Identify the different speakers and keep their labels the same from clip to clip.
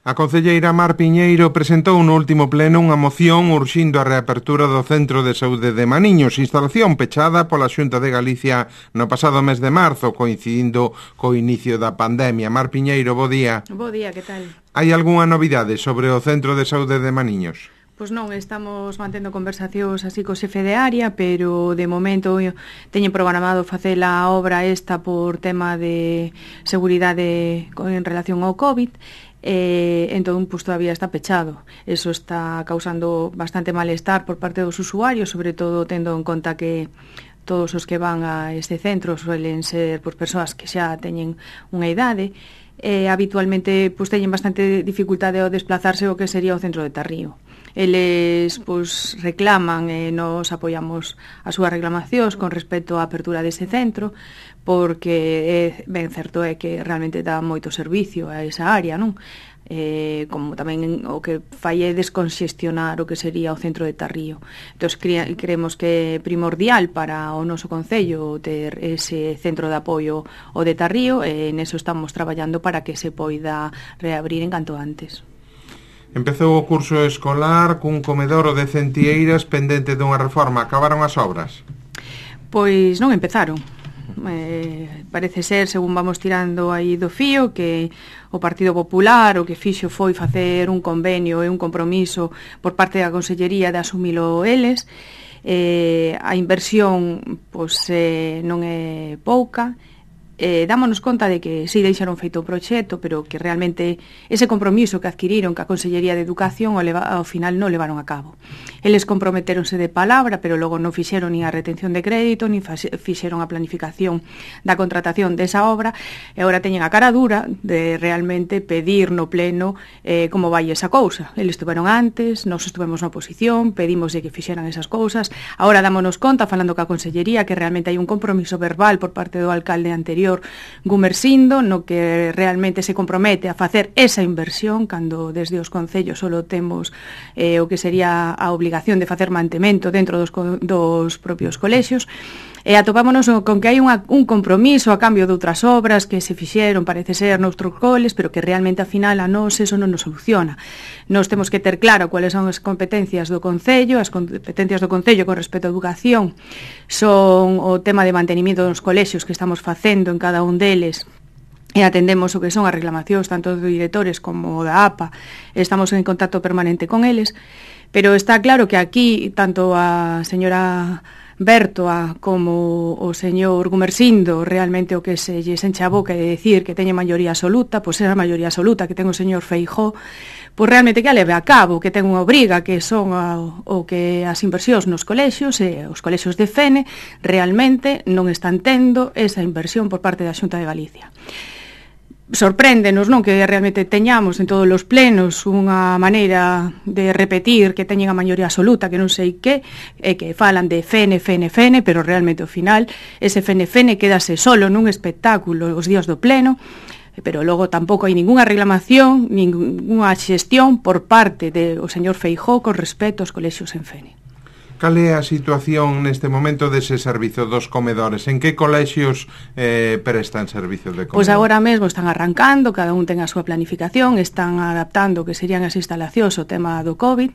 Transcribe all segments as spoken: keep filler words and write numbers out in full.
Speaker 1: A concelleira Mar Piñeiro presentou no último pleno unha moción urxindo a reapertura do Centro de Saúde de Maniños, instalación pechada pola Xunta de Galicia no pasado mes de marzo, coincidindo co inicio da pandemia. Mar Piñeiro, bo día.
Speaker 2: Bo día, que tal?
Speaker 1: Hai algunha novidade sobre o Centro de Saúde de Maniños?
Speaker 2: Pois non, estamos mantendo conversacións así co xefe de área, pero de momento teñen programado facer a obra esta por tema de seguridade en relación ao COVID. Eh, entón, pues, todavía está pechado. Eso está causando bastante malestar por parte dos usuarios, sobre todo tendo en conta que todos os que van a este centro suelen ser pues, persoas que xa teñen unha idade. Eh, habitualmente pues, teñen bastante dificultade ao desplazarse o que sería o centro de Tarrío. Eles pues, reclaman e eh, nos apoiamos as súas reclamacións con respecto á apertura dese centro, porque é ben certo é que realmente dá moito servicio a esa área, non? Eh, como tamén o que fai é desconxestionar o que sería o centro de Tarrío. Entón, cre creemos que é primordial para o noso concello ter ese centro de apoio o de Tarrío, e neso estamos traballando para que se poida reabrir en canto antes.
Speaker 1: Empezou o curso escolar cun comedoro de Centieiras pendente dunha reforma. Acabaron as obras?
Speaker 2: Pois non empezaron. Eh, parece ser, según vamos tirando aí do fío, que o Partido Popular o que fixo foi facer un convenio e un compromiso por parte da Consellería de asumilo eles. Eh, a inversión pois, eh, non é pouca. Eh, dámonos conta de que si deixaron feito o proxecto, pero que realmente ese compromiso que adquiriron que a Consellería de Educación ao, leva, ao final non levaron a cabo. Eles comprometeronse de palabra, pero logo non fixeron ni a retención de crédito, ni fixeron a planificación da contratación desa obra, e agora teñen a cara dura de realmente pedir no pleno eh, como vai esa cousa. Eles estuveron antes, nós estuvemos na oposición, pedimos de que fixeran esas cousas, agora dámonos conta, falando ca Consellería, que realmente hai un compromiso verbal por parte do alcalde anterior Gumersindo, no que realmente se compromete a facer esa inversión, cando desde os concellos solo temos eh, o que sería a obligación de facer mantemento dentro dos, dos propios colexios. E atopámonos con que hai unha, un compromiso a cambio de outras obras que se fixeron, parece ser, noutros coles, pero que realmente, ao final, a nós eso non nos soluciona. Nós temos que ter claro cuáles son as competencias do Concello. As competencias do Concello con respecto á educación son o tema de mantenimiento dos colexios que estamos facendo en cada un deles, e atendemos o que son as reclamacións tanto de directores como da A P A. Estamos en contacto permanente con eles, pero está claro que aquí tanto a señora Bertoa como o señor Gumersindo realmente o que se lles enche a boca de decir que teñe maioría absoluta, pois é a maioría absoluta que ten o señor Feijóo, pois realmente que a leve a cabo, que ten unha obriga que son a, o que as inversións nos colexios e os colexios de Fene realmente non están tendo esa inversión por parte da Xunta de Galicia. Sorpréndenos, non, que realmente teñamos en todos os plenos unha maneira de repetir que teñen a maioría absoluta, que non sei que, e que falan de Fene, Fene, Fene, pero realmente ao final ese Fene, Fene quedase solo nun espectáculo os días do pleno, pero logo tampouco hai ningunha reclamación, ningunha xestión por parte do señor Feijóo con respecto aos colexios en Fene.
Speaker 1: Cal é a situación neste momento dese servizo dos comedores? En que colexios eh, prestan servizo de comedor?
Speaker 2: Pois agora mesmo están arrancando, cada un ten a súa planificación, están adaptando o que serían as instalacións ao tema do COVID.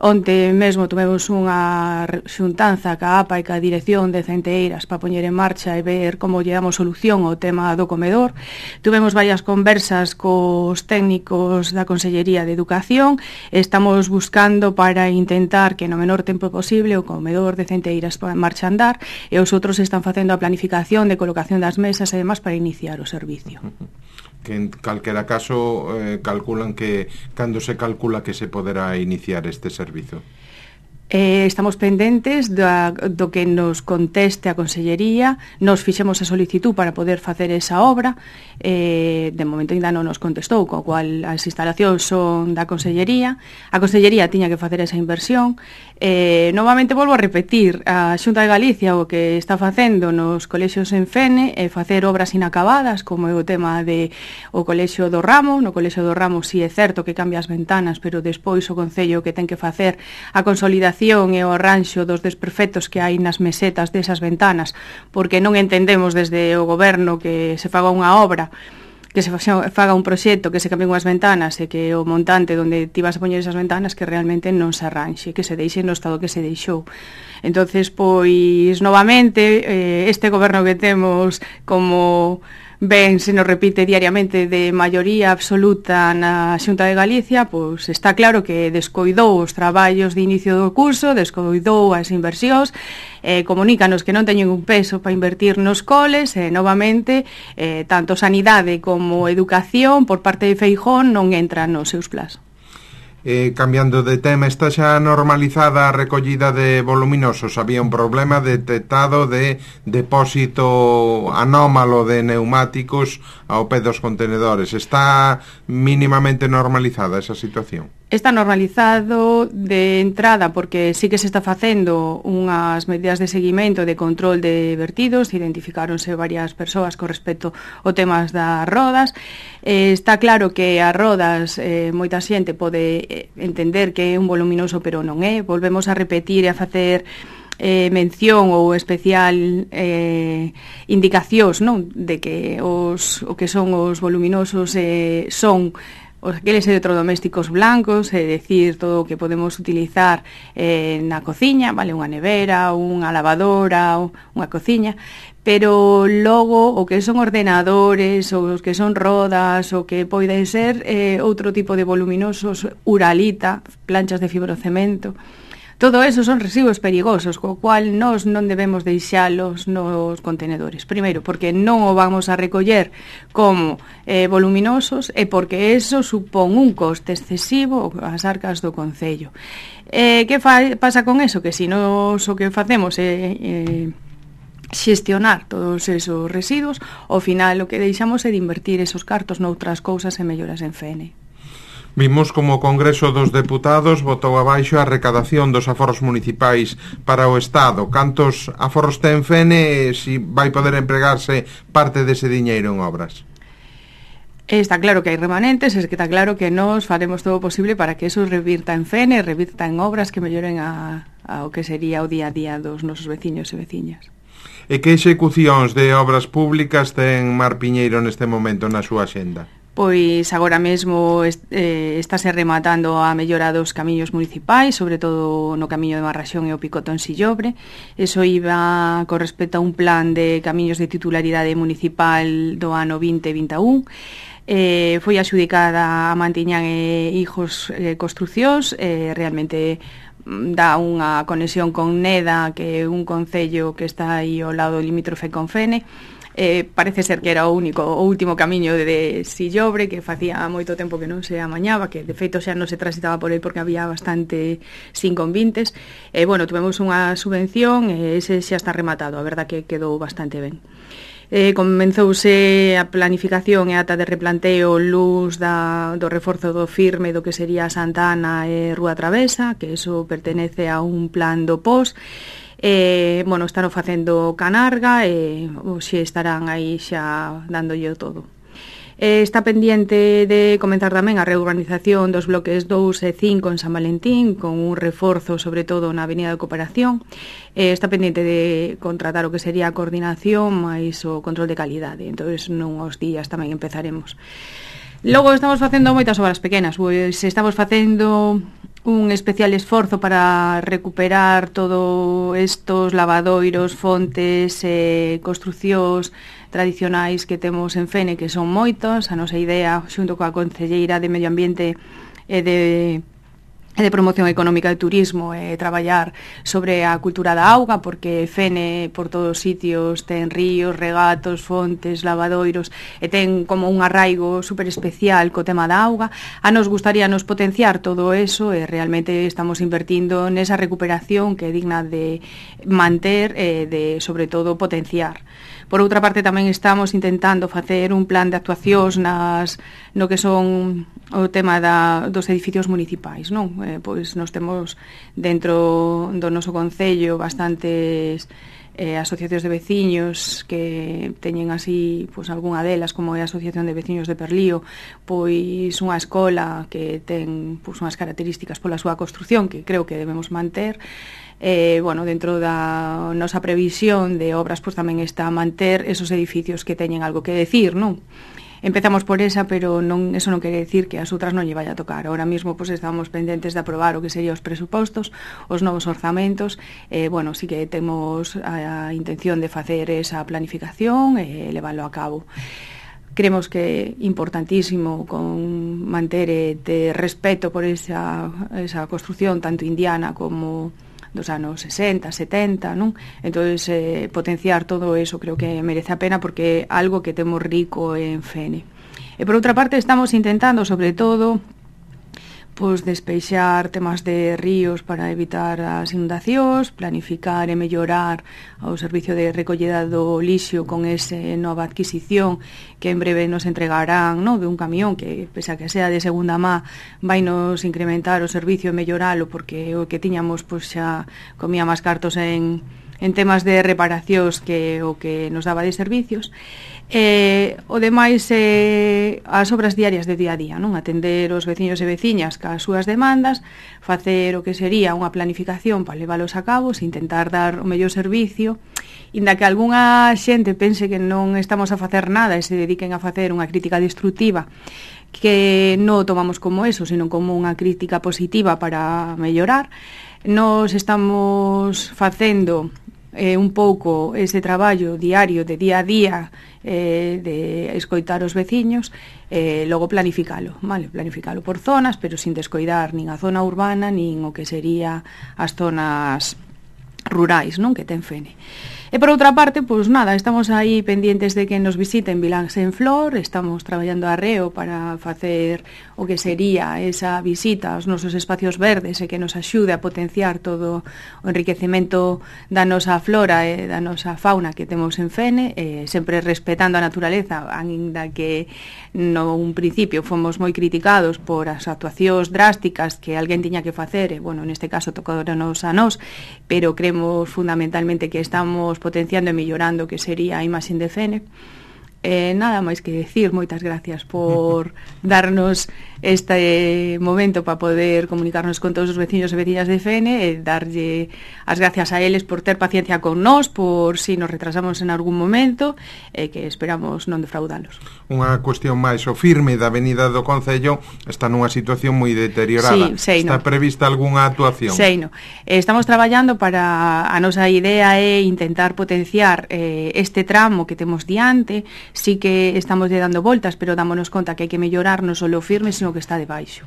Speaker 2: Onte mesmo tivemos unha xuntanza ca A P A e ca dirección de Centeiras para poñer en marcha e ver como lle damos solución ao tema do comedor. Tivemos varias conversas cos técnicos da Consellería de Educación. Estamos buscando para intentar que no menor tempo posible o comedor de Centeiras marcha a andar, e os outros están facendo a planificación de colocación das mesas e demás para iniciar o servicio.
Speaker 1: Que en calquera caso eh, calculan que cando se calcula que se poderá iniciar este servizo?
Speaker 2: Eh, estamos pendentes da, do que nos conteste a Consellería. Nos fixemos a solicitud para poder facer esa obra, eh, de momento ainda non nos contestou, co cual as instalacións son da Consellería. A Consellería tiña que facer esa inversión. Eh, novamente volvo a repetir, a Xunta de Galicia o que está facendo nos colexios en Fene é facer obras inacabadas, como é o tema de o colexio do Ramo. No colexio do Ramo si é certo que cambia as ventanas, pero despois o Concello que ten que facer a consolidación e o arranxo dos desperfectos que hai nas mesetas desas ventanas, porque non entendemos desde o goberno que se faga unha obra que se faga un proxecto, que se cambien unhas ventanas e que o montante onde ti vas a poñer esas ventanas que realmente non se arranxe, que se deixe no estado que se deixou. Entonces, pois, novamente, eh, este goberno que temos como ben se nos repite diariamente de maioría absoluta na Xunta de Galicia, pois está claro que descoidou os traballos de inicio do curso, descoidou as inversións, eh, comunícanos que non teñen un peso para invertir nos coles, e novamente eh, tanto sanidade como educación por parte de Feijóo non entran nos seus plazos.
Speaker 1: Eh, cambiando de tema, está xa normalizada a recollida de voluminosos. Había un problema detectado de depósito anómalo de neumáticos ao pé dos contenedores. Está mínimamente normalizada esa situación?
Speaker 2: Está normalizado de entrada porque sí que se está facendo unhas medidas de seguimento de control de vertidos, identificáronse varias persoas con respecto ao temas das rodas. Eh, está claro que as rodas eh, moita xente pode entender que é un voluminoso, pero non é. Volvemos a repetir e a facer eh, mención ou especial eh, indicacións, non, de que os o que son os voluminosos eh, son os aqueles electrodomésticos blancos, é dicir, todo o que podemos utilizar eh, na cociña, vale, unha nevera, unha lavadora, unha cociña, pero logo o que son ordenadores, ou os que son rodas, o que poden ser eh, outro tipo de voluminosos, uralita, planchas de fibrocemento. Todo eso son residuos perigosos, co cual nós non debemos deixalos nos contenedores. Primeiro, porque non o vamos a recoller como eh, voluminosos e porque eso supón un coste excesivo ás arcas do Concello. Eh, que fa, pasa con eso? Que se nos o que facemos é eh, xestionar todos esos residuos, ao final o que deixamos é de invertir esos cartos noutras cousas e melloras en F N.
Speaker 1: Vimos como o Congreso dos Deputados votou abaixo a recadación dos aforros municipais para o Estado. Cantos aforros ten F N e si vai poder empregarse parte dese diñeiro en obras?
Speaker 2: Está claro que hai remanentes, es que está claro que nós faremos todo o posible para que eso revirta en F N, revirta en obras que melloren a, a o que sería o día a día dos nosos veciños e veciñas.
Speaker 1: E que execucións de obras públicas ten Mar Piñeiro neste momento na súa axenda?
Speaker 2: Pois agora mesmo eh, estáse rematando a mellora dos camiños municipais, sobre todo no camiño de Marraxón e o Picoto en Sillobre. Eso iba con respecto a un plan de camiños de titularidade municipal do ano vinte vinte e un. Eh, foi axudicada a Mantiñán e Hijos eh, Construcións, eh, realmente dá unha conexión con Neda, que é un concello que está aí ao lado limítrofe con Fene. Eh, parece ser que era o único o último camiño de, de Sillobre, que facía moito tempo que non se amañaba, que de feito xa non se transitaba por el porque había bastante sin convintes. E eh, bueno, tuvemos unha subvención e ese xa está rematado, a verdad que quedou bastante ben. Eh, comenzouse a planificación e ata de replanteo luz da, do reforzo do firme do que sería Santa Ana e Rúa Travesa, que eso pertenece a un plan do P O S. Eh, bueno, están facendo Canarga e xe estarán aí xa dándolle todo. Eh, está pendiente de comenzar tamén a reurbanización dos bloques dous e cinco en San Valentín, con un reforzo sobre todo na Avenida de Cooperación. Eh, está pendiente de contratar o que sería a coordinación máis o control de calidade. Entón, nuns días tamén empezaremos. Logo estamos facendo moitas obras pequenas, pois estamos facendo un especial esforzo para recuperar todo estos lavadoiros, fontes e construcións tradicionais que temos en Fene, que son moitos. A nosa idea, xunto coa Concelleira de Medio Ambiente e de e de Promoción Económica de Turismo, e traballar sobre a cultura da auga, porque Fene por todos os sitios ten ríos, regatos, fontes, lavadoiros, e ten como un arraigo super especial co tema da auga. A nos gustaría nos potenciar todo eso, e realmente estamos invertindo nesa recuperación que é digna de manter e de, sobre todo, potenciar. Por outra parte, tamén estamos intentando facer un plan de actuacións nas, no que son o tema da, dos edificios municipais, non? Eh, pois nos temos dentro do noso concello bastantes eh, asociacións de veciños que teñen así, pois algunha delas, como é a Asociación de Veciños de Perlío, pois unha escola que ten pois unhas características pola súa construción que creo que debemos manter. Eh, bueno, dentro da nosa previsión de obras, pois tamén está a manter esos edificios que teñen algo que decir, non? empezamos por esa, pero non, eso non quere decir que as outras non lle vaya a tocar. Ahora mismo pues, estamos pendentes de aprobar o que serían os presupostos, os novos orzamentos. Eh, bueno, sí que temos a, a intención de facer esa planificación e eh, leválo a cabo. Creemos que é importantísimo con manter e ter respeto por esa, esa construción tanto indiana como dos anos sesenta, setenta, non? Entonces, eh, potenciar todo eso creo que merece a pena porque é algo que temos rico en Fene. E por outra parte, estamos intentando, sobre todo, pois despeixar temas de ríos para evitar as inundacións, planificar e mellorar o servicio de recollida do lixo con ese nova adquisición que en breve nos entregarán, no, de un camión que, pese a que sea de segunda má, vai nos incrementar o servicio e melloralo porque o que tiñamos pois xa comía máis cartos en, en temas de reparacións que o que nos daba de servicios. Eh, o demais é eh, as obras diarias de día a día, non? Atender os veciños e veciñas cas súas demandas, facer o que sería unha planificación para leválos a cabo, intentar dar o mellor servicio, inda que algunha xente pense que non estamos a facer nada e se dediquen a facer unha crítica destructiva, que non o tomamos como eso, sino como unha crítica positiva para mellorar. Nos estamos facendo eh, un pouco ese traballo diario de día a día eh, de escoitar os veciños e eh, logo planificalo, vale, planificalo por zonas, pero sin descoidar nin a zona urbana nin o que sería as zonas rurais, non, que ten Fene. E por outra parte, pois nada, estamos aí pendientes de que nos visiten Viláns en Flor, estamos traballando arreo para facer o que sería esa visita aos nosos espacios verdes e que nos axude a potenciar todo o enriquecemento da nosa flora e da nosa fauna que temos en Fene, e sempre respetando a naturaleza, ainda que no un principio fomos moi criticados por as actuacións drásticas que alguén tiña que facer, e, bueno, neste caso tocounos a nós, pero creemos fundamentalmente que estamos potenciando e mellorando que sería a imaxe de Fene. Eh, nada máis que decir, moitas gracias por darnos este momento para poder comunicarnos con todos os veciños e veciñas de Fene e darlle as gracias a eles por ter paciencia con nós, por si nos retrasamos en algún momento e que esperamos non defraudalos.
Speaker 1: Unha cuestión máis, o firme da avenida do Concello está nunha situación moi deteriorada.
Speaker 2: Sí, sei,
Speaker 1: está
Speaker 2: no.
Speaker 1: prevista algunha actuación?
Speaker 2: Sei, no. Estamos traballando para, a nosa idea é intentar potenciar eh, este tramo que temos diante. Sí que estamos lle dando voltas, pero dámonos conta que hai que mellorar non só o firme, sino que está debaixo.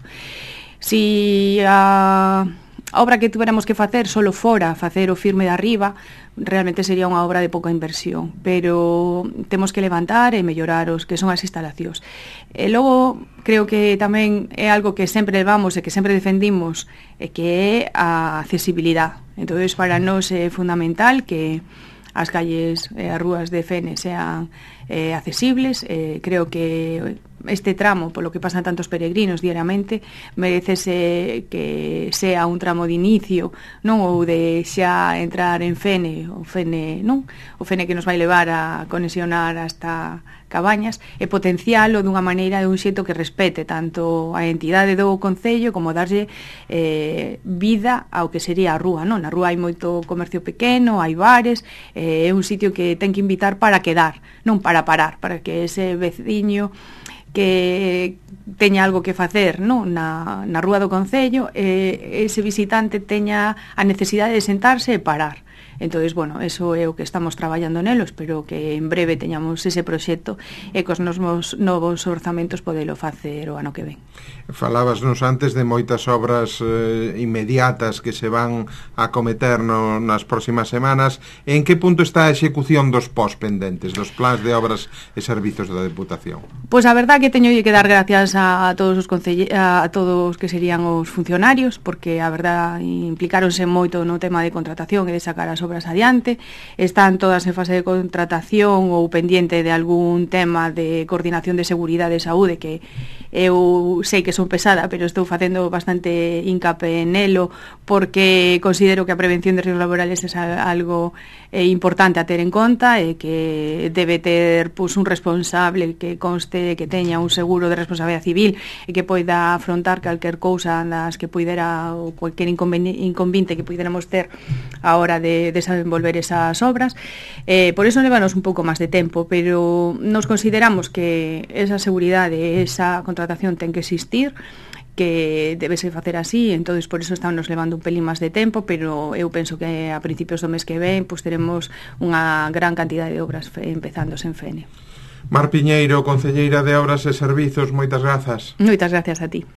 Speaker 2: Si a obra que tuveramos que facer solo fora facer o firme de arriba, realmente sería unha obra de pouca inversión, pero temos que levantar e mellorar os que son as instalacións. E logo, creo que tamén é algo que sempre levamos e que sempre defendimos, e que é a accesibilidade. Entón, para nós é fundamental que as calles e as rúas de Fene sean eh, accesibles. Eh, creo que este tramo, polo que pasan tantos peregrinos diariamente, merecese que sea un tramo de inicio, non, ou de xa entrar en Fene, o Fene, non? O Fene que nos vai levar a conexionar hasta Cabañas e potencialo dunha maneira de un xeito que respete tanto a entidade do Concello como darlle eh, vida ao que sería a rúa, non? Na rúa hai moito comercio pequeno, hai bares, eh, é un sitio que ten que invitar para quedar, non para parar, para que ese veciño que teña algo que facer, non, na, na rúa do Concello, e ese visitante teña a necesidade de sentarse e parar. Entonces, bueno, eso é o que estamos traballando nelo, espero que en breve teñamos ese proxecto e cos novos, novos orzamentos podelo facer o ano que ven.
Speaker 1: Falábasnos antes de moitas obras eh, inmediatas que se van a cometer no, nas próximas semanas. En que punto está a execución dos pós pendentes, dos plans de obras e servizos da Deputación?
Speaker 2: Pois a verdad que teño que dar gracias a, a todos os concelle- a todos que serían os funcionarios, porque a verdad implicáronse moito no tema de contratación e de sacar as obras adiante. Están todas en fase de contratación ou pendiente de algún tema de coordinación de seguridade e saúde, que eu sei que son pesada, pero estou facendo bastante hincapié nelo, porque considero que a prevención de riesgos laborales é algo eh, importante a ter en conta e que debe ter pues, un responsable que conste que teña un seguro de responsabilidade civil e que poida afrontar calquer cousa das que puidera ou cualquier inconveniente que puidéramos ter a hora de desenvolver esas obras. Eh, por eso levanos un pouco máis de tempo, pero nos consideramos que esa seguridade, esa contratación ten que existir, que debese facer así, entonces por eso estamos levando un pelín máis de tempo, pero eu penso que a principios do mes que ven pues, teremos unha gran cantidade de obras empezándose en Fene.
Speaker 1: Mar Piñeiro, concelleira de Obras e Servizos, moitas grazas.
Speaker 2: Moitas gracias a ti.